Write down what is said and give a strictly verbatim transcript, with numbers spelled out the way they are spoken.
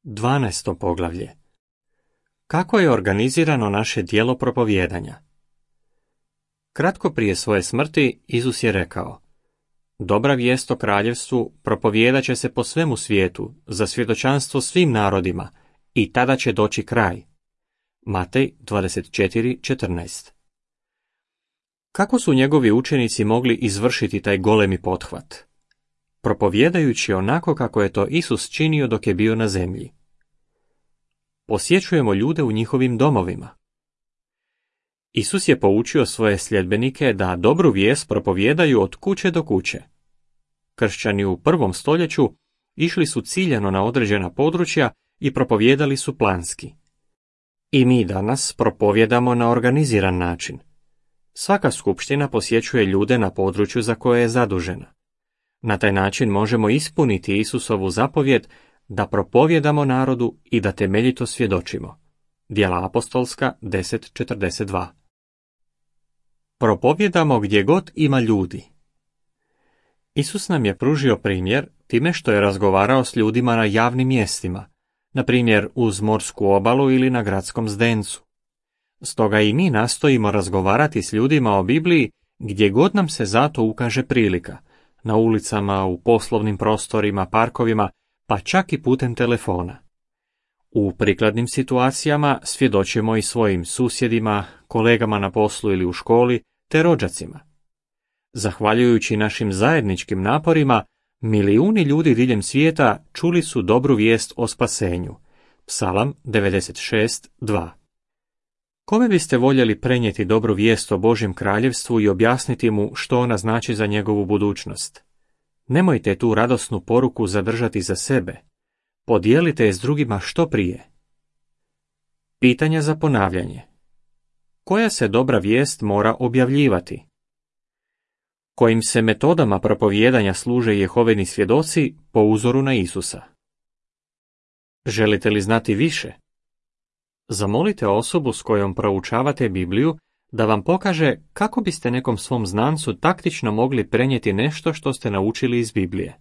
Dvanaesto poglavlje. Kako je organizirano naše djelo propovijedanja? Kratko prije svoje smrti Isus je rekao: Dobra vijest o kraljevstvu propovijedat će se po svemu svijetu za svjedočanstvo svim narodima i tada će doći kraj. Matej dvadeset četiri četrnaest. Kako su njegovi učenici mogli izvršiti taj golemi pothvat? Propovijedajući onako kako je to Isus činio dok je bio na zemlji. Posjećujemo ljude u njihovim domovima. Isus je poučio svoje sljedbenike da dobru vijest propovijedaju od kuće do kuće. Kršćani u prvom stoljeću išli su ciljano na određena područja i propovijedali su planski. I mi danas propovijedamo na organiziran način. Svaka skupština posjećuje ljude na području za koje je zadužena. Na taj način možemo ispuniti Isusovu zapovjed da propovijedamo narodu i da temeljito svjedočimo. Djela apostolska deset četrdeset dva. Propovijedamo gdje god ima ljudi. Isus nam je pružio primjer time što je razgovarao s ljudima na javnim mjestima, na primjer uz morsku obalu ili na gradskom zdencu. Stoga i mi nastojimo razgovarati s ljudima o Bibliji gdje god nam se zato ukaže prilika, na ulicama, u poslovnim prostorima, parkovima, pa čak i putem telefona. U prikladnim situacijama svjedočimo i svojim susjedima, kolegama na poslu ili u školi, te rođacima. Zahvaljujući našim zajedničkim naporima, milijuni ljudi diljem svijeta čuli su dobru vijest o spasenju. Psalam devedeset šest dva. Kome biste voljeli prenijeti dobru vijest o Božjem kraljevstvu i objasniti mu što ona znači za njegovu budućnost? Nemojte tu radosnu poruku zadržati za sebe. Podijelite je s drugima što prije. Pitanja za ponavljanje. Koja se dobra vijest mora objavljivati? Kojim se metodama propovijedanja služe Jehovini svjedoci po uzoru na Isusa? Želite li znati više? Zamolite osobu s kojom proučavate Bibliju da vam pokaže kako biste nekom svom znancu taktično mogli prenijeti nešto što ste naučili iz Biblije.